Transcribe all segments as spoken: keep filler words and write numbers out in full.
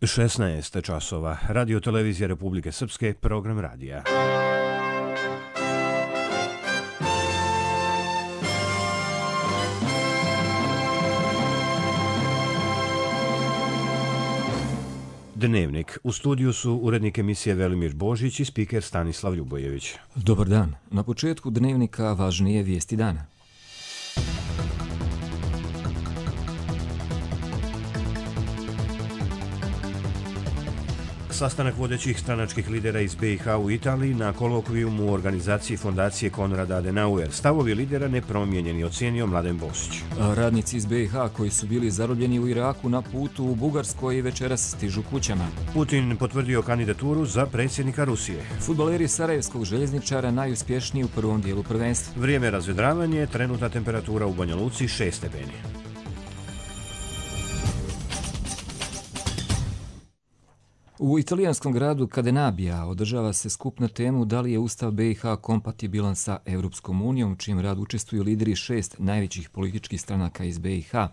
šesnaest časova. Radio televizija Republike Srpske, program radija. Dnevnik. U studiju su urednik emisije Velimir Božić i spiker Stanislav Ljubojević. Dobar dan. Na početku Dnevnika važnije vijesti dana. Sastanak vodećih stranačkih lidera iz be i ha u Italiji na kolokvijumu u organizaciji fondacije Konrada Adenauer. Stavovi lidera nepromijenjeni, ocijenio Mladen Bosić. Radnici iz be i ha koji su bili zarobljeni u Iraku na putu u Bugarskoj i večeras stižu kućama. Putin potvrdio kandidaturu za predsjednika Rusije. Fudbaleri sarajevskog željezničara najuspješniji u prvom dijelu prvenstva. Vrijeme razvedravanje, trenutna temperatura u Banja Luci šest stepeni. U italijanskom gradu Cadenabija održava se skup na temu da li je Ustav be i ha kompatibilan sa Europskom unijom, čijim rad učestvuju lideri šest najvećih političkih stranaka iz be i ha.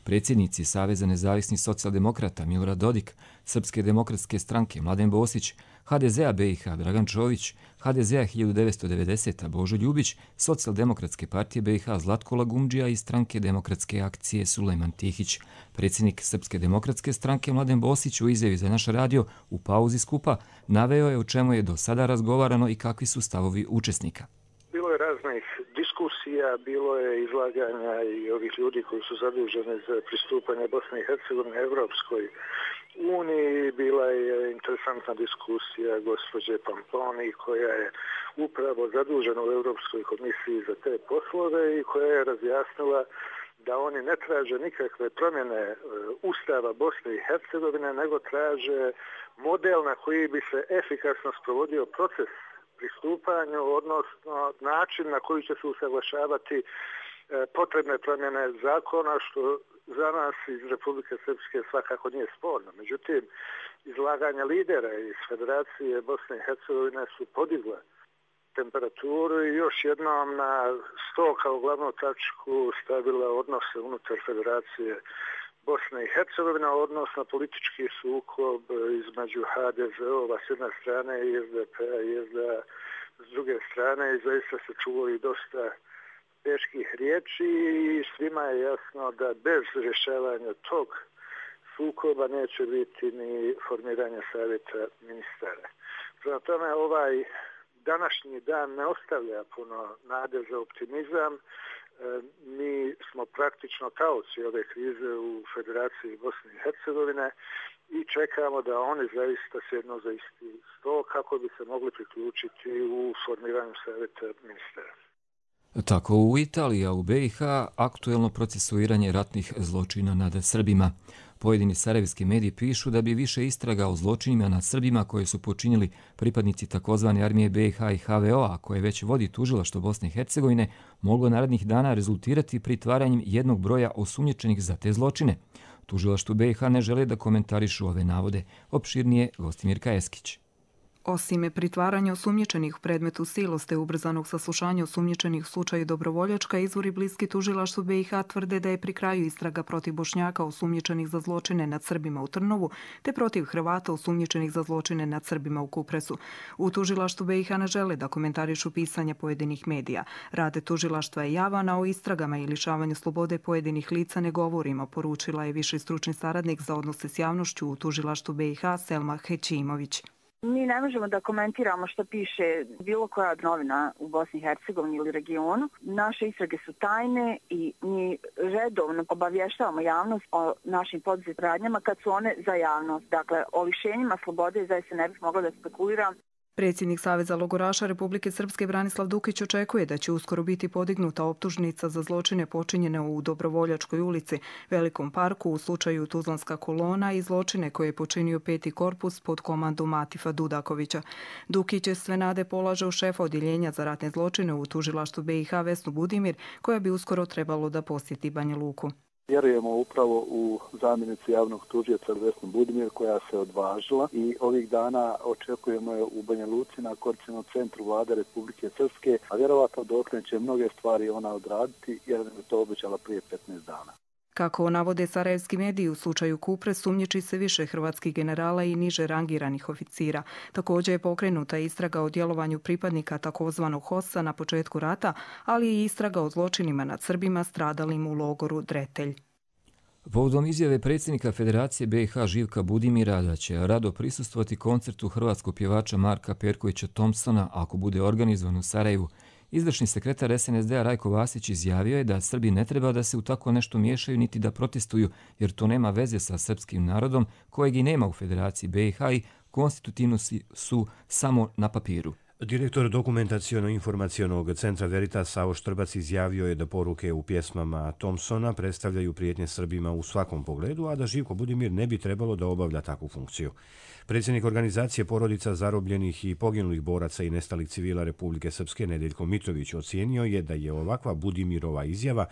Predsjednici Saveza nezavisnih socijaldemokrata Milorad Dodik, Srpske demokratske stranke Mladen Bosić, ha de zea be i ha Dragan Čović, ha de zea hiljadu devetsto devedesete Božo Ljubić, Socijaldemokratske partije be i ha Zlatko Lagumdžija i Stranke demokratske akcije Sulejman Tihić. Predsjednik Srpske demokratske stranke Mladen Bosić u izjavi za naš radio u pauzi skupa naveo je o čemu je do sada razgovarano i kakvi su stavovi učesnika. Bilo je raznih diskusija, bilo je izlaganja i ovih ljudi koji su zaduženi za pristupanje Bosne i Hercegovine Evropskoj uniji. Bila je interesantna diskusija gospođe Pamponi koja je upravo zadužena u Europskoj komisiji za te poslove i koja je razjasnila da oni ne traže nikakve promjene Ustava Bosne i Hercegovine, nego traže model na koji bi se efikasno sprovodio proces pristupanju, odnosno način na koji će se usaglašavati potrebne promjene zakona, što za nas iz Republike Srpske svakako nije sporno. Međutim, izlaganja lidera iz Federacije Bosne i Hercegovine su podigla temperaturu i još jednom na sto kao glavnu tačku stavila odnose unutar Federacije Bosne i Hercegovine, odnosno politički sukob između ha de zeova s jedne strane i es de pe a i es de a s druge strane i zaista se čulo i dosta teških riječi i svima je jasno da bez rješavanja tog sukoba neće biti ni formiranja savjeta ministara. Prema tome, ovaj današnji dan ne ostavlja puno nade za optimizam. Mi smo praktično taoci ove krize u Federaciji Bosne i Hercegovine i čekamo da oni zaista sjednu za isti sto kako bi se mogli priključiti u formiranju savjeta ministara. Tako u Italiji, a u be i ha aktuelno procesuiranje ratnih zločina nad Srbima. Pojedini sarajevski mediji pišu da bi više istraga o zločinima nad Srbima koje su počinili pripadnici takozvane armije be i ha i ha ve o a koje već vodi tužilaštvo Bosne i Hercegovine moglo narednih dana rezultirati pritvaranjem jednog broja osumnjičenih za te zločine. Tužilaštvo be i ha ne žele da komentarišu ove navode. Opširnije Gostimirka Eskić. Osim pritvaranja osumnjičenih u predmetu siloste ubrzanog saslušanja osumnjičenih u slučaju Dobrovoljačka, izvori bliski tužilaštvu be i ha tvrde da je pri kraju istraga protiv Bošnjaka osumnjičenih za zločine nad Srbima u Trnovu, te protiv Hrvata osumnjičenih za zločine nad Srbima u Kupresu. U tužilaštvu be i ha ne žele da komentarišu pisanja pojedinih medija. Rade tužilaštva je javan, a o istragama i lišavanju slobode pojedinih lica ne govorimo, poručila je viši stručni saradnik za odnose s javnošću u tužilaštvu be i ha Selma Hećimović. Mi ne možemo da komentiramo što piše bilo koja novina u Bosni i Hercegovini ili regionu. Naše istrage su tajne i mi redovno obavještavamo javnost o našim poduzetim radnjama kad su one za javnost. Dakle, o lišenjima slobode zaista ne bih mogla da spekuliram. Predsjednik Saveza logoraša Republike Srpske Branislav Dukić očekuje da će uskoro biti podignuta optužnica za zločine počinjene u Dobrovoljačkoj ulici, Velikom parku u slučaju Tuzlanska kolona i zločine koje je počinio peti korpus pod komandom Atifa Dudakovića. Dukić sve nade polaže u šefa odjeljenja za ratne zločine u tužilaštvu be i ha Vesnu Budimir, koja bi uskoro trebalo da posjeti Banja Luku. Vjerujemo upravo u zamjenicu javnog tužioca Vesnu Budimir koja se odvažila i ovih dana očekujemo je u Banja Luci na Koordinacionom centru Vlade Republike Srpske, a vjerovatno dokle će mnoge stvari ona odraditi jer je to obećala prije petnaest dana. Kako navode sarajevski mediji, u slučaju Kupre sumnjiči se više hrvatskih generala i niže rangiranih oficira. Također je pokrenuta istraga o djelovanju pripadnika takozvanog HOS-a na početku rata, ali i istraga o zločinima nad Srbima stradalim u logoru Dretelj. Povodom izjave predsjednika Federacije B i H Živka Budimira da će rado prisustvovati koncertu hrvatskog pjevača Marka Perkovića Thompsona ako bude organizovan u Sarajevu, izvršni sekretar S N S D-a Rajko Vasić izjavio je da Srbi ne treba da se u tako nešto miješaju niti da protestuju, jer to nema veze sa srpskim narodom kojeg i nema u Federaciji B i H i konstitutivno su samo na papiru. Direktor dokumentacijono-informacijonog centra Veritas Savo Štrbac izjavio je da poruke u pjesmama Thompsona predstavljaju prijetnje Srbima u svakom pogledu, a da Živko Budimir ne bi trebalo da obavlja takvu funkciju. Predsjednik organizacije porodica zarobljenih i poginulih boraca i nestalih civila Republike Srpske Nedeljko Mitrović ocijenio je da je ovakva Budimirova izjava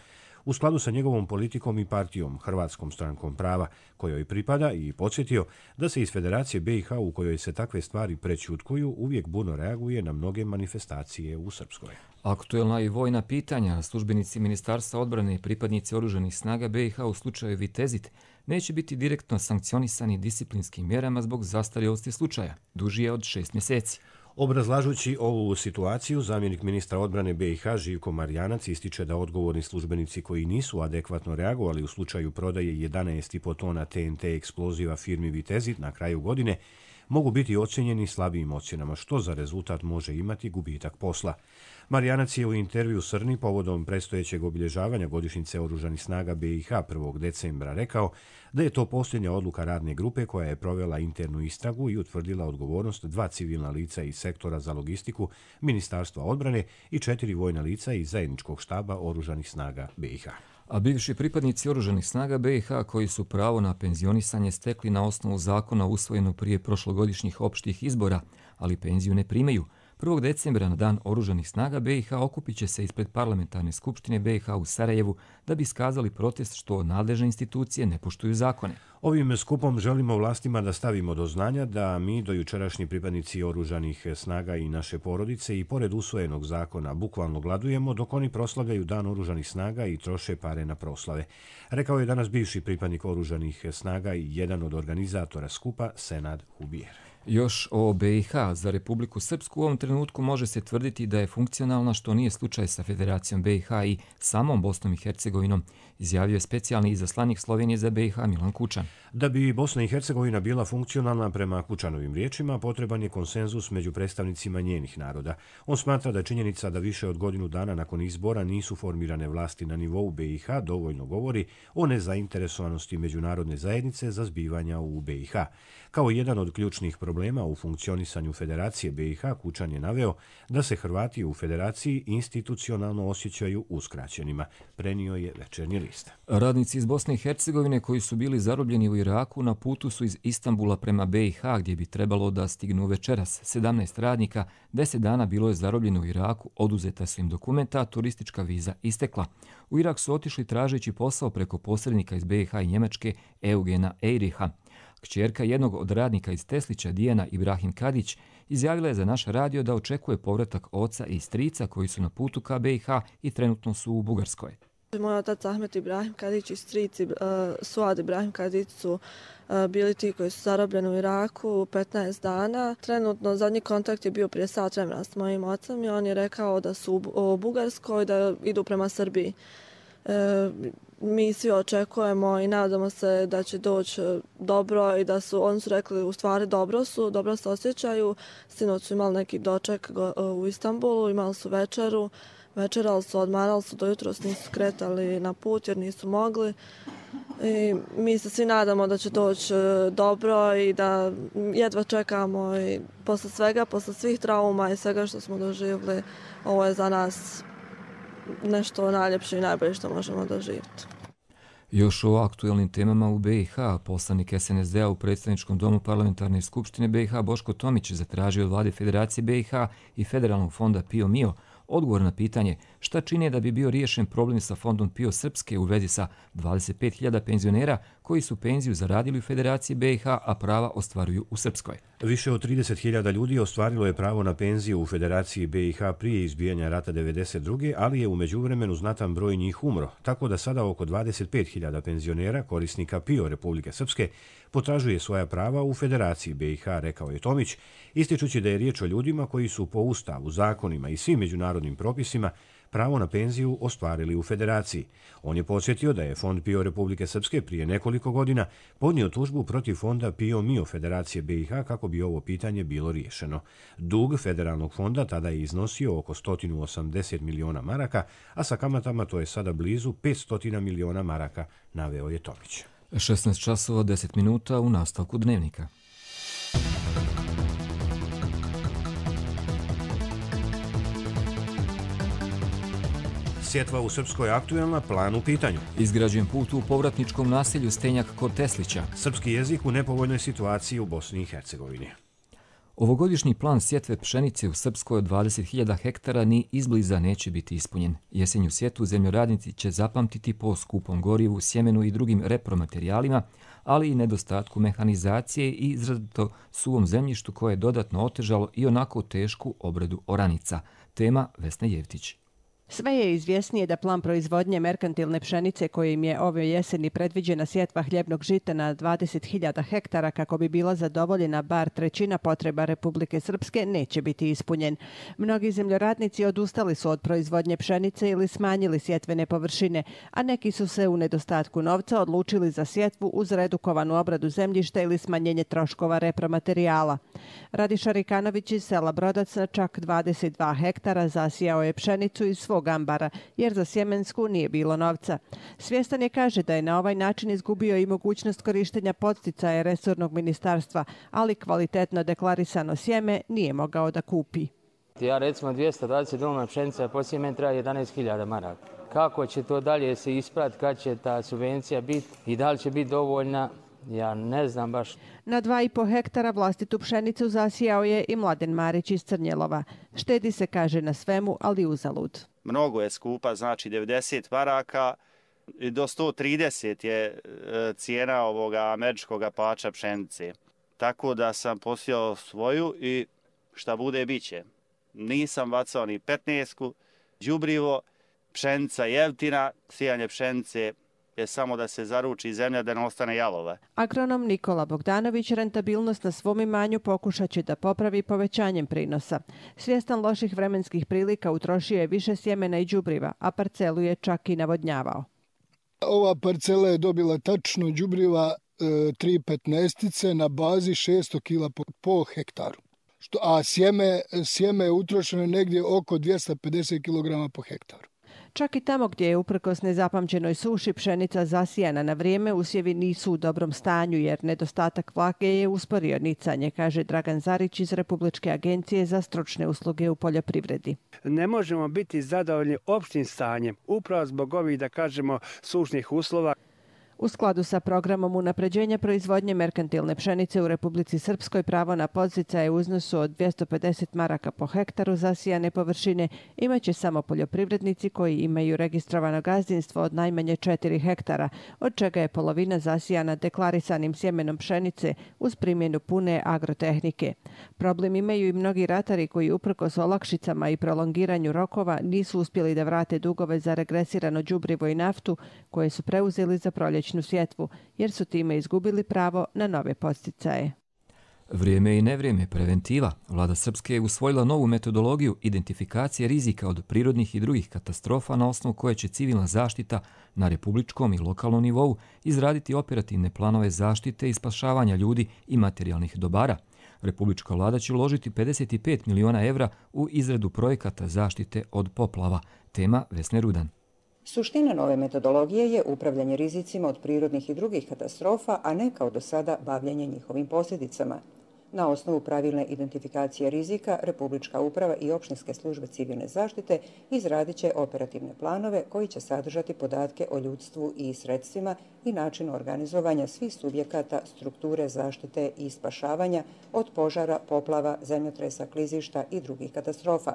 u skladu sa njegovom politikom i partijom Hrvatskom strankom prava, kojoj pripada, i podsjetio da se iz Federacije B i H u kojoj se takve stvari prećutkuju uvijek burno reaguje na mnoge manifestacije u Srpskoj. Aktuelna i vojna pitanja, službenici Ministarstva odbrane i pripadnici oružanih snaga B i H u slučaju Vitezit neće biti direktno sankcionisani disciplinskim mjerama zbog zastarjelosti slučaja, dužije od šest mjeseci. Obrazlažući ovu situaciju, zamjenik ministra odbrane B i H Živko Marjanac ističe da odgovorni službenici koji nisu adekvatno reagovali u slučaju prodaje jedanaest i po tona T N T eksploziva firmi Vitezit na kraju godine mogu biti ocjenjeni slabijim ocjenama, što za rezultat može imati gubitak posla. Marjanac je u intervju Srni povodom predstojećeg obilježavanja godišnjice oružanih snaga B i H prvog decembra rekao da je to posljednja odluka radne grupe koja je provela internu istragu i utvrdila odgovornost dva civilna lica iz sektora za logistiku Ministarstva odbrane i četiri vojna lica iz zajedničkog štaba oružanih snaga B i H. A bivši pripadnici oružanih snaga B i H koji su pravo na penzionisanje stekli na osnovu zakona usvojenog prije prošlogodišnjih opštih izbora, ali penziju ne primaju, prvog decembra na dan oružanih snaga B i H okupit će se ispred parlamentarne skupštine B i H u Sarajevu da bi iskazali protest što nadležne institucije ne poštuju zakone. Ovim skupom želimo vlastima da stavimo do znanja da mi, dojučerašnji pripadnici oružanih snaga i naše porodice, i pored usvojenog zakona bukvalno gladujemo dok oni proslavljaju dan oružanih snaga i troše pare na proslave. Rekao je danas bivši pripadnik oružanih snaga i jedan od organizatora skupa Senad Hubijer. Još o B i H za Republiku Srpsku u ovom trenutku može se tvrditi da je funkcionalna, što nije slučaj sa Federacijom B i H i samom Bosnom i Hercegovinom, izjavio je specijalni izaslanik Slovenije za B i H Milan Kučan. Da bi Bosna i Hercegovina bila funkcionalna, prema Kučanovim riječima, potreban je konsenzus među predstavnicima njenih naroda. On smatra da činjenica da više od godinu dana nakon izbora nisu formirane vlasti na nivou B i H dovoljno govori o nezainteresovanosti međunarodne zajednice za zbivanja u B i H. Kao jedan od ključnih problema u funkcionisanju Federacije B i H, Kučan je naveo da se Hrvati u Federaciji institucionalno osjećaju uskraćenima, prenio je Večernji list. Radnici iz Bosne i Hercegovine koji su bili zarobljeni u Iraku na putu su iz Istanbula prema B i H, gdje bi trebalo da stignu večeras. sedamnaest radnika, deset dana bilo je zarobljeno u Iraku, oduzeta su im dokumenta, a turistička viza istekla. U Irak su otišli tražeći posao preko posrednika iz B i H i Njemačke Eugena Eiriha. Kćerka jednog od radnika iz Teslića, Dijana Ibrahim Kadić, izjavila je za naš radio da očekuje povratak oca i strica koji su na putu ka B i H i trenutno su u Bugarskoj. Moj otac Ahmet Ibrahim Kadić i strici uh, Suad Ibrahim Kadić su uh, bili ti koji su zarobljeni u Iraku petnaest dana. Trenutno zadnji kontakt je bio prije sat vremena s mojim ocem i on je rekao da su u Bugarskoj, da idu prema Srbiji. Uh, mi svi očekujemo i nadamo se da će doći dobro i da su, oni su rekli u stvari dobro su, dobro se osjećaju. Sinoć su imali neki doček u Istanbulu, imali su večeru, večerali su, odmarali su, dojutro nisu kretali na put jer nisu mogli. I mi se svi nadamo da će doći dobro i da jedva čekamo i posle svega, posle svih trauma i svega što smo doživjeli, ovo je za nas nešto najljepše i najbolje što možemo doživjeti. Još o aktuelnim temama u B i H, poslanik S N S D-a u predstavničkom domu parlamentarne skupštine B i H Boško Tomić zatražio od vlade Federacije B i H i Federalnog fonda Pio Mio odgovor na pitanje šta čine da bi bio riješen problem sa fondom PIO Srpske u vezi sa dvadeset pet hiljada penzionera koji su penziju zaradili u Federaciji B i H, a prava ostvaruju u Srpskoj. Više od trideset hiljada ljudi ostvarilo je pravo na penziju u Federaciji B i H prije izbijanja rata devedeset druge. ali je u međuvremenu znatan broj njih umro, tako da sada oko dvadeset pet hiljada penzionera, korisnika PIO Republike Srpske, potražuje svoja prava u Federaciji B i H, rekao je Tomić, ističući da je riječ o ljudima koji su po Ustavu, zakonima i svim međunarodnim propisima pravo na penziju ostvarili u Federaciji. On je podsjetio da je Fond PIO Republike Srpske prije nekoliko godina podnio tužbu protiv fonda PIO Mio Federacije B i H kako bi ovo pitanje bilo riješeno. Dug federalnog fonda tada je iznosio oko sto osamdeset miliona maraka, a sa kamatama to je sada blizu petsto miliona maraka, naveo je Tomić. šesnaest časova deset minuta u nastavku dnevnika. Sjetva u Srpskoj aktuelna, plan u pitanju. Izgrađen put u povratničkom naselju Stenjak kod Teslića. Srpski jezik u nepovoljnoj situaciji u Bosni i Hercegovini. Ovogodišnji plan sjetve pšenice u Srpskoj od dvadeset hiljada hektara ni izbliza neće biti ispunjen. Jesenju sjetvu zemljoradnici će zapamtiti po skupom gorivu, sjemenu i drugim repromaterijalima, ali i nedostatku mehanizacije i izrazito suvom zemljištu koje je dodatno otežalo i onako tešku obradu oranica. Tema Vesna Jevtić. Sve je izvjesnije da plan proizvodnje merkantilne pšenice kojim je ove jeseni predviđena sjetva hljebnog žita na dvadeset hiljada hektara kako bi bila zadovoljena bar trećina potreba Republike Srpske neće biti ispunjen. Mnogi zemljoradnici odustali su od proizvodnje pšenice ili smanjili sjetvene površine, a neki su se u nedostatku novca odlučili za sjetvu uz redukovanu obradu zemljišta ili smanjenje troškova repromaterijala. Radiša Rikanović iz sela Brodac na čak dvadeset dva hektara zasijao je pšenicu iz svog ambara, jer za sjemensku nije bilo novca. Svjestan je, kaže, da je na ovaj način izgubio i mogućnost korištenja podsticaja resornog ministarstva, ali kvalitetno deklarisano sjeme nije mogao da kupi. Ja recimo dvjesto dvadeset doma pšenica po sjemenu treba jedanaest hiljada maraka. Kako će to dalje se isprati, kad će ta subvencija biti i da li će biti dovoljna, ja ne znam baš. Na dva i po hektara vlastitu pšenicu zasijao je i Mladen Marić iz Crnjelova. Štedi se, kaže, na svemu, ali uzalud. Mnogo je skupa, znači devedeset maraka i do sto trideset je cijena ovoga američkog pača pšenice. Tako da sam posijao svoju i šta bude biće. Nisam bacao ni petnaestku, đubrivo, pšenica jeftina, sijanje pšenice je samo da se zaruči zemlja da ne ostane jalova. Agronom Nikola Bogdanović rentabilnost na svom imanju pokušat će da popravi povećanjem prinosa. Svjestan loših vremenskih prilika utrošio je više sjemena i đubriva, a parcelu je čak i navodnjavao. Ova parcela je dobila tačno đubriva e, tri petnaestice na bazi šesto kila po, po hektaru. Što, a sjeme, sjeme je utrošeno negdje oko dvjesto pedeset kilograma po hektaru. Čak i tamo gdje je uprkos nezapamćenoj suši pšenica zasijana na vrijeme, usjevi nisu u dobrom stanju jer nedostatak vlage je usporio nicanje, kaže Dragan Zarić iz Republičke agencije za stručne usluge u poljoprivredi. Ne možemo biti zadovoljni opštim stanjem, upravo zbog ovih, da kažemo, sušnih uslova. U skladu sa programom unapređenja proizvodnje merkantilne pšenice u Republici Srpskoj pravo na podsticaje u iznosu od dvjesto pedeset maraka po hektaru zasijane površine imaće samo poljoprivrednici koji imaju registrovano gazdinstvo od najmanje četiri hektara, od čega je polovina zasijana deklarisanim sjemenom pšenice uz primjenu pune agrotehnike. Problem imaju i mnogi ratari koji uprkos olakšicama i prolongiranju rokova nisu uspjeli da vrate dugove za regresirano đubrivo i naftu koje su preuzeli za proljeće sjetvu, jer su time izgubili pravo na nove podsticaje. Vrijeme i nevrijeme preventiva. Vlada Srpske je usvojila novu metodologiju identifikacije rizika od prirodnih i drugih katastrofa na osnovu koje će civilna zaštita na republičkom i lokalnom nivou izraditi operativne planove zaštite i spašavanja ljudi i materijalnih dobara. Republička vlada će uložiti pedeset pet miliona evra u izradu projekata zaštite od poplava. Tema Vesne Rudan. Suština nove metodologije je upravljanje rizicima od prirodnih i drugih katastrofa, a ne kao do sada bavljanje njihovim posljedicama. Na osnovu pravilne identifikacije rizika, Republička uprava i opštinske službe civilne zaštite izradit će operativne planove koji će sadržati podatke o ljudstvu i sredstvima i načinu organizovanja svih subjekata strukture zaštite i spašavanja od požara, poplava, zemljotresa, klizišta i drugih katastrofa.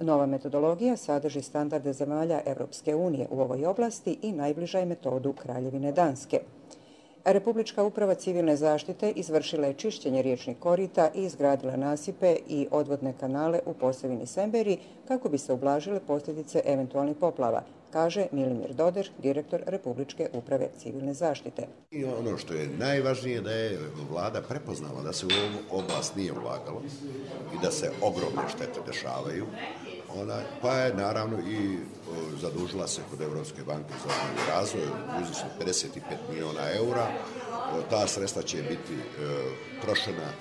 Nova metodologija sadrži standarde zemalja Evropske unije u ovoj oblasti i najbliža je metodu Kraljevine Danske. Republička uprava civilne zaštite izvršila je čišćenje riječnih korita i izgradila nasipe i odvodne kanale u Posavini Semberi kako bi se ublažile posljedice eventualnih poplava, kaže Milimir Doder, direktor Republičke uprave civilne zaštite. I ono što je najvažnije da je vlada prepoznala da se u ovu oblast nije ulagalo i da se ogromne štete dešavaju. Ona, pa je naravno i o, zadužila se kod Evropske banke za obnovu i razvoj u iznosu pedeset pet miliona eura. O, ta sredstva će biti e, trošena e,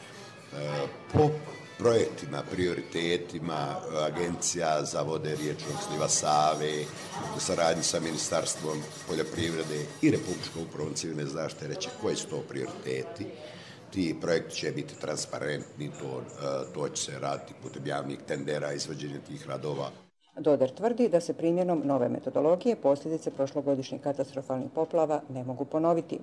po projektima, prioritetima agencija za vode riječnog sliva Save, u saradnji sa Ministarstvom poljoprivrede i Republičkom upravom civilne zaštite reći koji su to prioriteti. Ti projekti će biti transparentni, to, to će se raditi putem javnih tendera, izvođenje tih radova. Doder tvrdi da se primjenom nove metodologije posljedice prošlogodišnjih katastrofalnih poplava ne mogu ponoviti.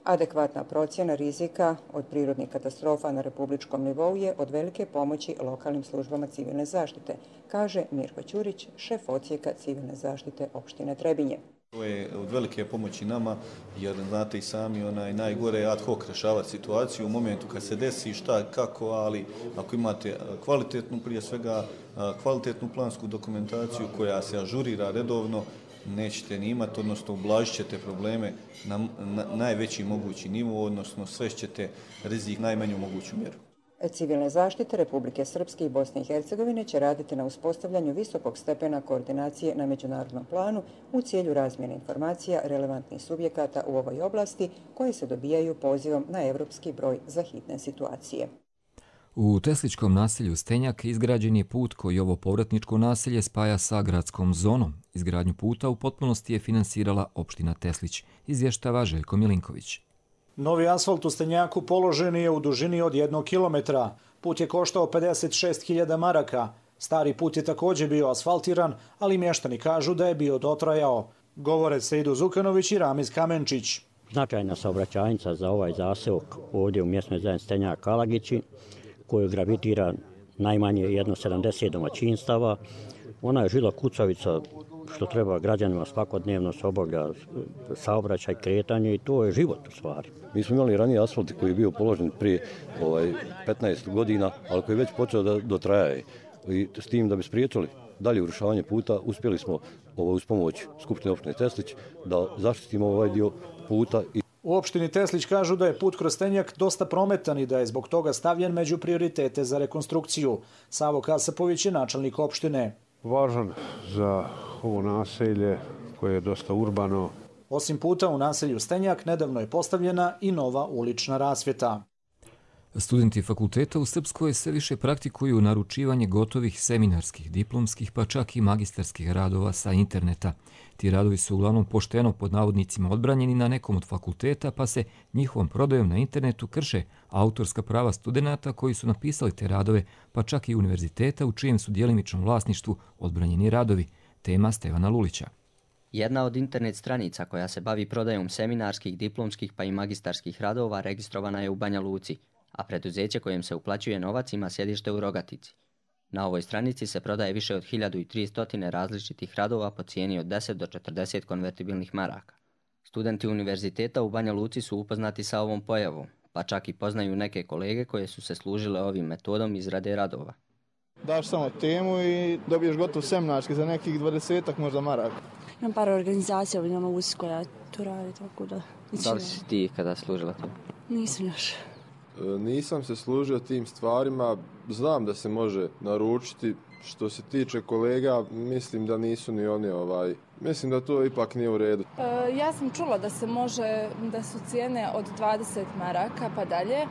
Adekvatna procjena rizika od prirodnih katastrofa na republičkom nivou je od velike pomoći lokalnim službama civilne zaštite, kaže Mirko Ćurić, šef odsjeka civilne zaštite opštine Trebinje. To je od velike pomoći nama, jer znate i sami, onaj najgore je ad hoc rešavati situaciju u momentu kad se desi šta, kako, ali ako imate kvalitetnu, prije svega kvalitetnu plansku dokumentaciju koja se ažurira redovno, nećete ni imati, odnosno ublažit ćete probleme na, na najveći mogući nivo, odnosno svešćete rizik najmanju moguću mjeru. Civilne zaštite Republike Srpske i Bosne i Hercegovine će raditi na uspostavljanju visokog stepena koordinacije na međunarodnom planu u cilju razmjene informacija relevantnih subjekata u ovoj oblasti koje se dobijaju pozivom na evropski broj za hitne situacije. U Tesličkom naselju Stenjak izgrađen je put koji ovo povratničko naselje spaja sa gradskom zonom. Izgradnju puta u potpunosti je finansirala opština Teslić, izvještava Željko Milinković. Novi asfalt u Stenjaku položen je u dužini od jednog kilometra. Put je koštao pedeset šest hiljada maraka. Stari put je također bio asfaltiran, ali mještani kažu da je bio dotrajao. Govore Sejdu Zukanović i Ramiz Kamenčić. Značajna saobraćajnica za ovaj zaseok ovdje u mjesnoj zajednici Stenjak Kalagići, koju gravitira najmanje jedno sedamdeset domaćinstava. Ona je žila kucavica što treba građanima svakodnevno se obavlja saobraćaj, kretanje i to je život u stvari. Mi smo imali ranije asfalt koji je bio položen prije ovaj, petnaest godina, ali koji je već počeo da dotrajaje. I s tim da bi spriječili dalje urušavanje puta, uspjeli smo ovaj, uz pomoć Skupštine opštine Teslić da zaštitimo ovaj dio puta. I u opštini Teslić kažu da je put kroz Stenjak dosta prometan i da je zbog toga stavljen među prioritete za rekonstrukciju. Savo Kasapović je načelnik opštine. Važan za ovo naselje koje je dosta urbano. Osim puta u naselju Stenjak, nedavno je postavljena i nova ulična rasvjeta. Studenti fakulteta u Srpskoj sve više praktikuju naručivanje gotovih seminarskih, diplomskih pa čak i magistarskih radova sa interneta. Ti radovi su uglavnom pošteno pod navodnicima odbranjeni na nekom od fakulteta, pa se njihovom prodajom na internetu krše autorska prava studenata koji su napisali te radove, pa čak i univerziteta u čijem su djelimičnom vlasništvu odbranjeni radovi. Tema Stevana Lulića. Jedna od internet stranica koja se bavi prodajom seminarskih, diplomskih pa i magistarskih radova registrovana je u Banja Luci, a preduzeće kojem se uplaćuje novac ima sjedište u Rogatici. Na ovoj stranici se prodaje više od hiljadu tristo različitih radova po cijeni od deset do četrdeset konvertibilnih maraka. Studenti univerziteta u Banja Luci su upoznati sa ovom pojavom, pa čak i poznaju neke kolege koje su se služile ovim metodom izrade radova. Daš samo temu i dobiješ gotov seminarski za nekih dvadesetak možda maraka. Imam par organizacija u Banja Luci koja to radi, tako da... Da li si ti kada služila to? Nisam još. Nisam se služio tim stvarima, znam da se može naručiti. Što se tiče kolega, mislim da nisu ni oni ovaj, mislim da to ipak nije u redu. E, ja sam čula da se može, da su cijene od dvadeset maraka pa dalje,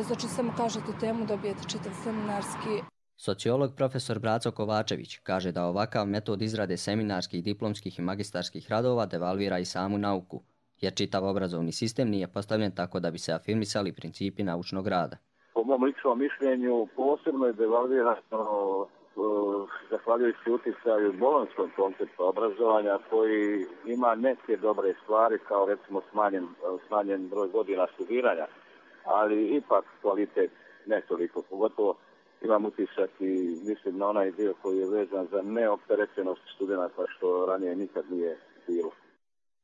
znači samo kažete temu dobijete čitav seminarski. Sociolog profesor Braco Kovačević kaže da ovakav metod izrade seminarskih, diplomskih i magistarskih radova devalvira i samu nauku, jer čitav obrazovni sistem nije postavljen tako da bi se afirmisali principi naučnog rada. Po mom ličnom mišljenju posebno je devalvirano zahvaljujući utjecaju bolonjskog koncepta obrazovanja koji ima neke dobre stvari kao recimo smanjen, smanjen broj godina studiranja, ali ipak kvalitet ne toliko, pogotovo imam utisak i mislim na onaj dio koji je vezan za neopterećenost studenta što ranije nikad nije bilo.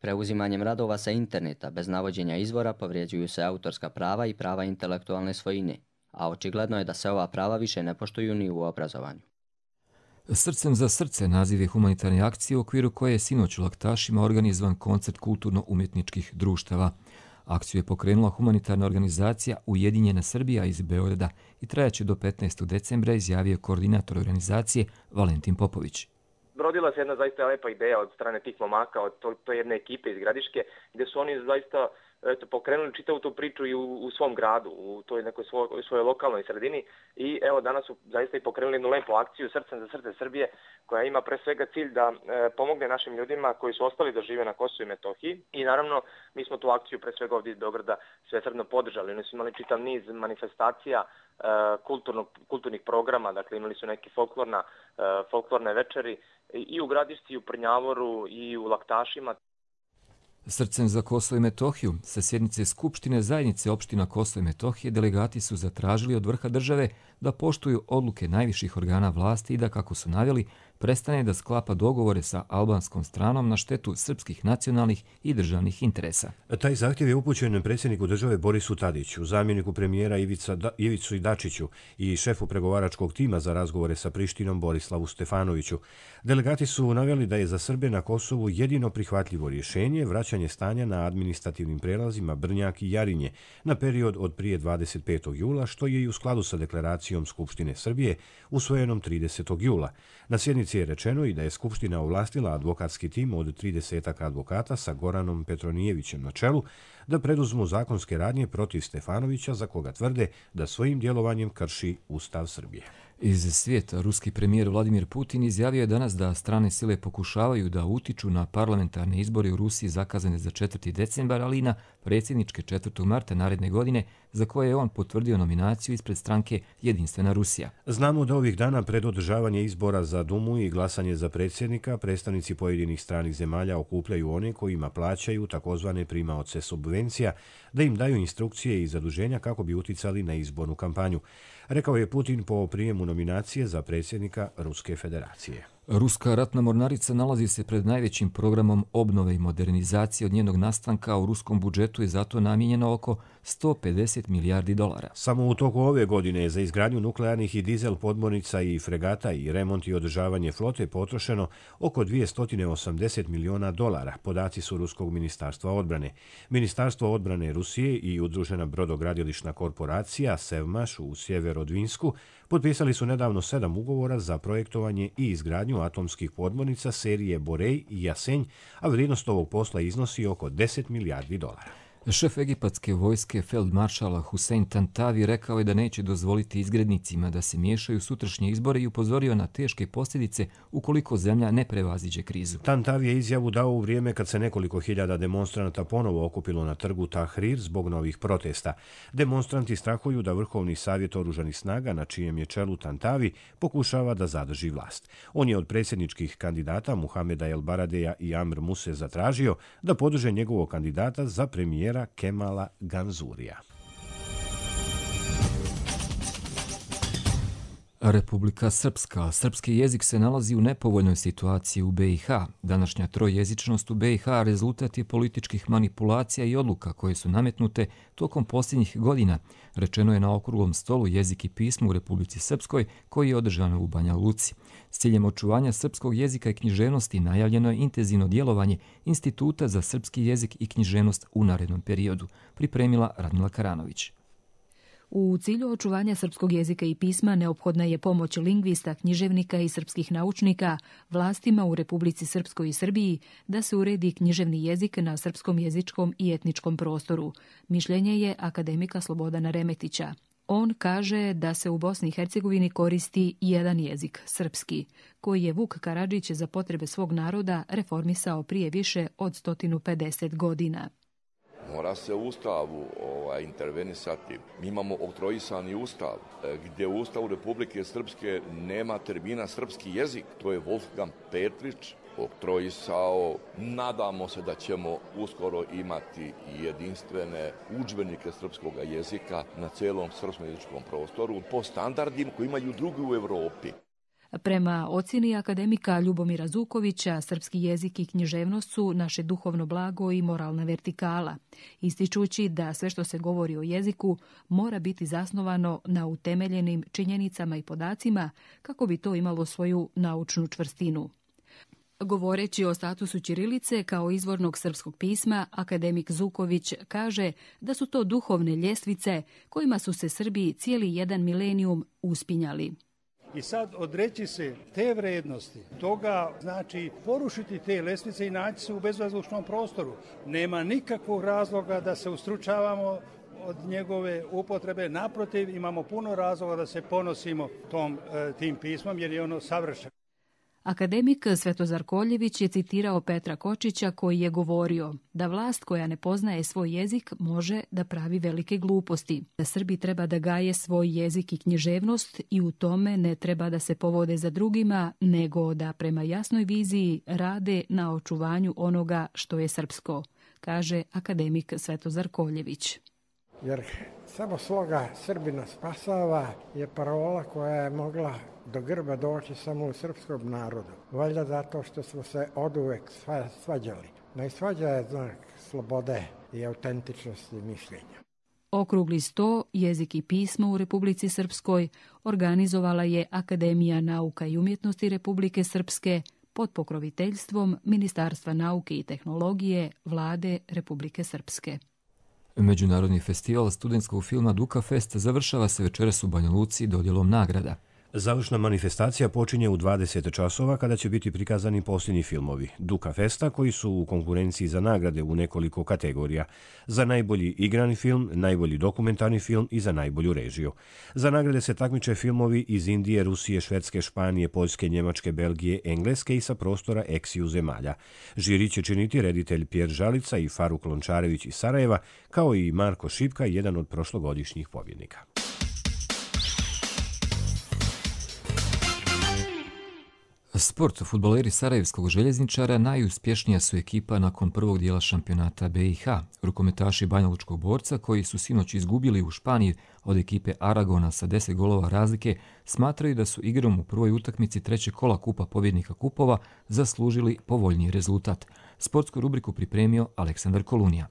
Preuzimanjem radova sa interneta bez navođenja izvora povrijeđuju se autorska prava i prava intelektualne svojine, a očigledno je da se ova prava više ne poštuju ni u obrazovanju. Srcem za srce naziv je humanitarne akcije u okviru koje je sinoć u Laktašima organizovan koncert kulturno-umjetničkih društava. Akciju je pokrenula humanitarna organizacija Ujedinjena Srbija iz Beograda i trajaće do petnaestog decembra, izjavio koordinator organizacije Valentin Popović. Rodila se jedna zaista lepa ideja od strane tih momaka, od to, to jedne ekipe iz Gradiške, gdje su oni zaista eto, pokrenuli čitavu tu priču i u, u svom gradu, u toj nekoj svoj, svojoj lokalnoj sredini. I evo danas su zaista i pokrenuli jednu lepu akciju Srcem za srce Srbije, koja ima pre svega cilj da e, pomogne našim ljudima koji su ostali da žive na Kosovu i Metohiji. I naravno, mi smo tu akciju pre svega ovdje iz Beograda svesrdno podržali. Oni su imali čitav niz manifestacija, e, kulturnog, kulturnih programa, dakle imali su neke folklorna, e, folklorne večeri i u Gradišci, i u Prnjavoru, i u Laktašima. Srcem za Kosovo i Metohiju sa sjednice Skupštine zajednice opština Kosovo i Metohije delegati su zatražili od vrha države da poštuju odluke najviših organa vlasti i da, kako su naveli, prestane da sklapa dogovore sa albanskom stranom na štetu srpskih nacionalnih i državnih interesa. Taj zahtjev je upućen predsjedniku države Borisu Tadiću, zamjeniku premijera Ivica da, Ivicu Dačiću i šefu pregovaračkog tima za razgovore sa Prištinom Borislavu Stefanoviću. Delegati su naveli da je za Srbe na Kosovu jedino prihvatljivo rješenje vraćanje stanja na administrativnim prelazima Brnjak i Jarinje na period od prije dvadeset petog jula, što je i u skladu sa deklaracijom Skupštine Srbije usvojenom tridesetog jula. Na sjednici je rečeno i da je Skupština ovlastila advokatski tim od tridesetak advokata sa Goranom Petronijevićem na čelu da preduzmu zakonske radnje protiv Stefanovića, za koga tvrde da svojim djelovanjem krši Ustav Srbije. Iz svijeta ruski premijer Vladimir Putin izjavio je danas da strane sile pokušavaju da utiču na parlamentarne izbore u Rusiji zakazane za četvrti decembar, ali i na predsjedničke četvrtog marta naredne godine, za koje je on potvrdio nominaciju ispred stranke Jedinstvena Rusija. Znamo da ovih dana pred održavanje izbora za Dumu i glasanje za predsjednika, predstavnici pojedinih stranih zemalja okupljaju one kojima plaćaju takozvane primaoce subvencija da im daju instrukcije i zaduženja kako bi uticali na izbornu kampanju. Rekao je Putin po prijemu nominacije za predsjednika Ruske federacije. Ruska ratna mornarica nalazi se pred najvećim programom obnove i modernizacije od njenog nastanka. U ruskom budžetu je zato namijenjeno oko sto pedeset milijardi dolara. Samo u toku ove godine za izgradnju nuklearnih i dizel podmornica i fregata i remont i održavanje flote potrošeno oko dvjesto osamdeset miliona dolara, podaci su Ruskog ministarstva odbrane. Ministarstvo odbrane Rusije i udružena brodogradilišna korporacija Sevmaš u Sjeverodvinsku potpisali su nedavno sedam ugovora za projektovanje i izgradnju atomskih podmornica serije Borej i Jasenj, a vrijednost ovog posla iznosi oko deset milijardi dolara. Šef egipatske vojske feldmaršala Hussein Tantavi rekao je da neće dozvoliti izgrednicima da se miješaju u sutrašnje izbore i upozorio na teške posljedice ukoliko zemlja ne prevaziđe krizu. Tantavi je izjavu dao u vrijeme kad se nekoliko hiljada demonstranata ponovo okupilo na trgu Tahrir zbog novih protesta. Demonstranti strahuju da Vrhovni savjet oružanih snaga, na čijem je čelu Tantavi, pokušava da zadrži vlast. On je od predsjedničkih kandidata Muhameda El Baradeja i Amr Muse zatražio da podrže njegovog kandidata za premijera Kemala Ganzurija. Republika Srpska. Srpski jezik se nalazi u nepovoljnoj situaciji u B i H. Današnja trojezičnost u B i H rezultat je političkih manipulacija i odluka koje su nametnute tokom posljednjih godina, rečeno je na okruglom stolu Jezik i pismo u Republici Srpskoj, koji je održan u Banja Luci. S ciljem očuvanja srpskog jezika i književnosti najavljeno je intenzivno djelovanje Instituta za srpski jezik i književnost u narednom periodu, pripremila Radmila Karanović. U cilju očuvanja srpskog jezika i pisma neophodna je pomoć lingvista, književnika i srpskih naučnika vlastima u Republici Srpskoj i Srbiji da se uredi književni jezik na srpskom jezičkom i etničkom prostoru. Mišljenje je akademika Slobodana Remetića. On kaže da se u Bosni i Hercegovini koristi jedan jezik, srpski, koji je Vuk Karadžić za potrebe svog naroda reformisao prije više od sto pedeset godina. Mora se u Ustavu ovaj, intervenisati. Mi imamo oktroisani Ustav, gdje u Ustavu Republike Srpske nema termina srpski jezik. To je Wolfgang Petrić oktroisao. Nadamo se da ćemo uskoro imati jedinstvene udžbenike srpskog jezika na celom srpskom jezičkom prostoru po standardima koji imaju drugi u Evropi. Prema ocjeni akademika Ljubomira Zukovića, srpski jezik i književnost su naše duhovno blago i moralna vertikala, ističući da sve što se govori o jeziku mora biti zasnovano na utemeljenim činjenicama i podacima kako bi to imalo svoju naučnu čvrstinu. Govoreći o statusu ćirilice kao izvornog srpskog pisma, akademik Zuković kaže da su to duhovne ljestvice kojima su se Srbi cijeli jedan milenijum uspinjali. I sad odreći se te vrednosti, toga znači porušiti te lestvice i naći se u bezvazdušnom prostoru. Nema nikakvog razloga da se ustručavamo od njegove upotrebe, naprotiv imamo puno razloga da se ponosimo tom, tim pismom jer je ono savršeno. Akademik Svetozar Koljević je citirao Petra Kočića koji je govorio da vlast koja ne poznaje svoj jezik može da pravi velike gluposti. Da Srbi treba da gaje svoj jezik i književnost i u tome ne treba da se povode za drugima, nego da prema jasnoj viziji rade na očuvanju onoga što je srpsko, kaže akademik Svetozar Koljević. Jer samo svoga Srbina spasava je parola koja je mogla do grba doći samo u srpskom narodu. Valjda zato što smo se oduvek svađali. No i svađa je znak slobode i autentičnosti mišljenja. Okrugli sto, jezik i pismo u Republici Srpskoj organizovala je Akademija nauka i umjetnosti Republike Srpske pod pokroviteljstvom Ministarstva nauke i tehnologije Vlade Republike Srpske. Međunarodni festival studentskog filma Duka Fest završava se večeras u Banja Luci dodjelom nagrada. Završna manifestacija počinje u dvadeset časova kada će biti prikazani posljednji filmovi Duka Festa koji su u konkurenciji za nagrade u nekoliko kategorija. Za najbolji igrani film, najbolji dokumentarni film i za najbolju režiju. Za nagrade se takmiče filmovi iz Indije, Rusije, Švedske, Španije, Poljske, Njemačke, Belgije, Engleske i sa prostora eksiju zemalja. Žiri će činiti reditelj Pjer Žalica i Faruk Lončarević iz Sarajeva, kao i Marko Šipka, jedan od prošlogodišnjih pobjednika. Sport. Fudbaleri Sarajevskog željezničara najuspješnija su ekipa nakon prvog dijela šampionata B i H. Rukometaši Banjalučkog Borca, koji su sinoć izgubili u Španiji od ekipe Aragona sa deset golova razlike, smatraju da su igrom u prvoj utakmici trećeg kola Kupa pobjednika kupova zaslužili povoljniji rezultat. Sportsku rubriku pripremio Aleksandar Kolunija.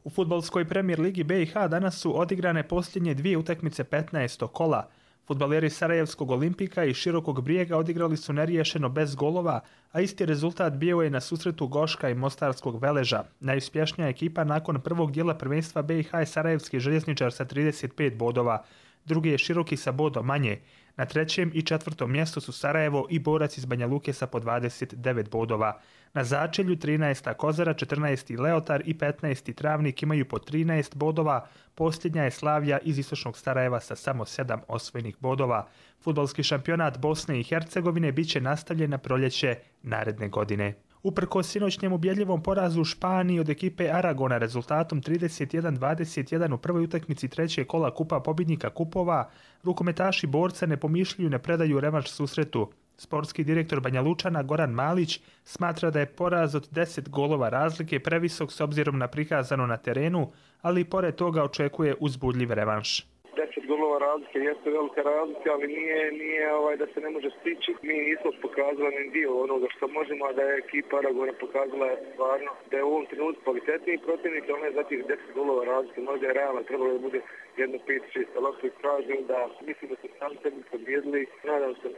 U fudbalskoj premijer ligi B i H danas su odigrane posljednje dvije utakmice petnaestog kola. Fudbaleri Sarajevskog Olimpika i Širokog Brijega odigrali su neriješeno bez golova, a isti rezultat bio je na susretu Goška i Mostarskog Veleža. Najuspješnija ekipa nakon prvog dijela prvenstva B i H je Sarajevski željezničar sa trideset pet bodova. Drugi je Široki sa bodom manje. Na trećem i četvrtom mjestu su Sarajevo i Borac iz Banja Luke sa po dvadeset devet bodova. Na začelju trinaesta Kozara, četrnaesti Leotar i petnaesti Travnik imaju po trinaest bodova. Posljednja je Slavija iz istočnog Sarajeva sa samo sedam osvojenih bodova. Fudbalski šampionat Bosne i Hercegovine bit će nastavljen na proljeće naredne godine. Uprkos sinoćnjem ubjedljivom porazu u Španiji od ekipe Aragona rezultatom trideset jedan dvadeset jedan u prvoj utakmici trećeg kola Kupa pobjednika kupova, rukometaši Borca ne pomišljaju ne predaju revanš susretu. Sportski direktor Banja Lučana Goran Malić smatra da je poraz od deset golova razlike previsok s obzirom na prikazano na terenu, ali i pored toga očekuje uzbudljiv revanš. deset golova razlike jeste velika razlika, ali nije, nije ovaj, da se ne može stići. Mi nismo pokazali ni dio onoga što možemo, a da je ekipa Aragona pokazala stvarno da je u ovom trenutku kvalitetniji protivnik, ali ne za tih deset golova razlike. Možda je realno trebalo da bude jedno pet šest, ali ako je kažem da mislim da su sami sebi pobjedili. Nadam se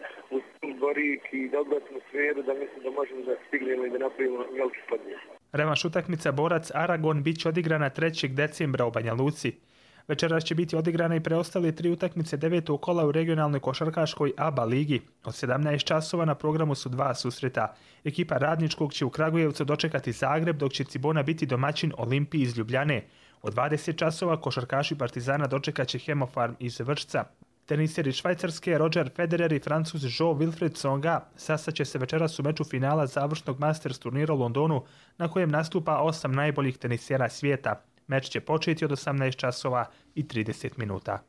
u Borik i dobro atmosferu da mislim da možemo da stignemo i da napravimo veliki podijel. Revanš utakmica Borac Aragon bit će odigrana trećeg decembra u Banja Luci. Večeras će biti odigrane i preostale tri utakmice devetog kola u regionalnoj košarkaškoj A B A ligi. Od sedamnaest časova na programu su dva susreta. Ekipa Radničkog će u Kragujevcu dočekati Zagreb, dok će Cibona biti domaćin Olimpiji iz Ljubljane. Od dvadeset časova košarkaši Partizana dočekat će Hemofarm iz Vršca. Teniseri Švajcarske Roger Federer i Francuz Jean-Wilfried Tsonga sastaće se večeras u meču finala završnog Masters turnira u Londonu, na kojem nastupa osam najboljih tenisera svijeta. Meč će početi od osamnaest časova i trideset minuta.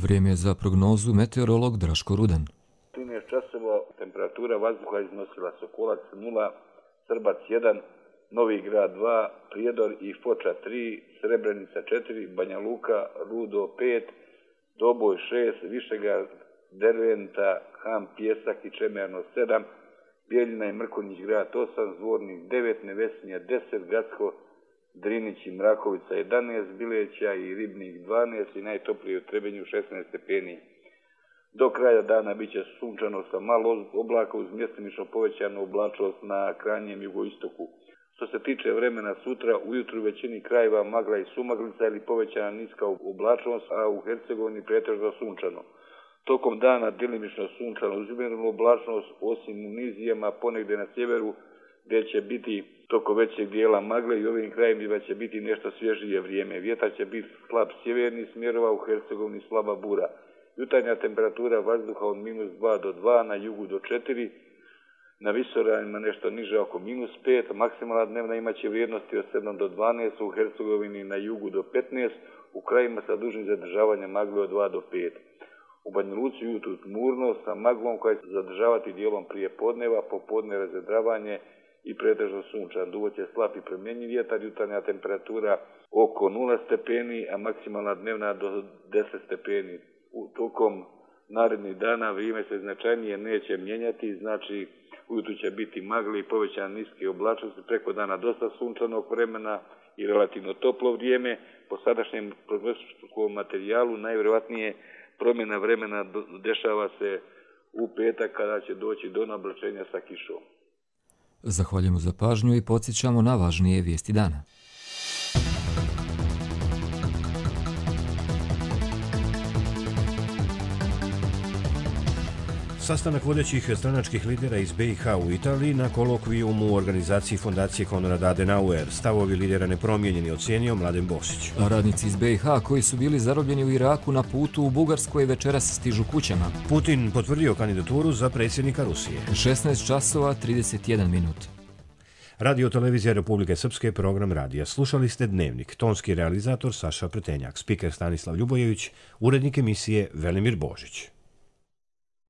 Vrijeme za prognozu meteorolog Draško Rudan. trinaest časova temperatura vazduha iznosila Sokolac nula, Srbac jedan, Novi Grad dva, Prijedor i Foča tri, Srebrenica četiri, Banja Luka, Rudo pet, Doboj šest, Višegrad, Derventa, Ham, Pjesak i Čemerno sedam, Bijeljina i Mrkonjić Grad osam, Zvornik devet, Nevesinja deset, Gacko, Drinić i Mrakovica jedanaest, Bileća i Ribnik dvanaest i najtoplije u Trebinju šesnaest stepeni. Do kraja dana bit će sunčano sa malo oblaka uz mjestimično povećanu oblačnost na krajnjem jugoistoku. Što se tiče vremena sutra, ujutru u većini krajeva magla i sumaglica ili povećana niska oblačnost, a u Hercegovini pretežno sunčano. Tokom dana djelimično sunčano uz umjerenu oblačnost, osim u nizijama ponegdje na sjeveru, gdje će biti toko većeg dijela magle i ovim krajevima će biti nešto svježije vrijeme. Vjetar će biti slab sjeverni smjerova, u Hercegovini slaba bura. Jutarnja temperatura vazduha od minus dva do dva, na jugu do četiri, na visoravnima nešto niže oko minus pet, maksimalna dnevna imaće vrijednosti od sedam do dvanaest, u Hercegovini na jugu do petnaest, u krajima sa dužnim zadržavanjem magle od dva do pet. U Banja Luci jutro tmurno sa maglom koja će zadržavati dijelom prije podneva, popodne razvedravanje i pretežno sunčan. Duvo će slab i promjenjiv vjetar, jutarnja temperatura oko nula stepeni, a maksimalna dnevna do deset stepeni. U tokom narednih dana vrijeme se značajnije neće mijenjati, znači ujutro će biti magle i povećane niske oblačnosti, preko dana dosta sunčanog vremena i relativno toplo vrijeme. Po sadašnjem prognostičkom materijalu najvjerojatnije promjena vremena dešava se u petak kada će doći do nablačenja sa kišom. Zahvaljujemo za pažnju i podsjećamo na važnije vijesti dana. Sastanak vodećih stranačkih lidera iz B i H u Italiji na kolokvijumu u organizaciji Fondacije Konrad Adenauer. Stavovi lidera nepromijenjeni, ocijenio Mladen Bosić. A radnici iz B i H koji su bili zarobljeni u Iraku na putu u Bugarskoj večeras stižu kućama. Putin potvrdio kandidaturu za predsjednika Rusije. šesnaest časova trideset jedan minut. Radio Televizija Republike Srpske, program radija. Slušali ste Dnevnik. Tonski realizator Saša Pretenjak, spiker Stanislav Ljubojević, urednik emisije Velimir Božić.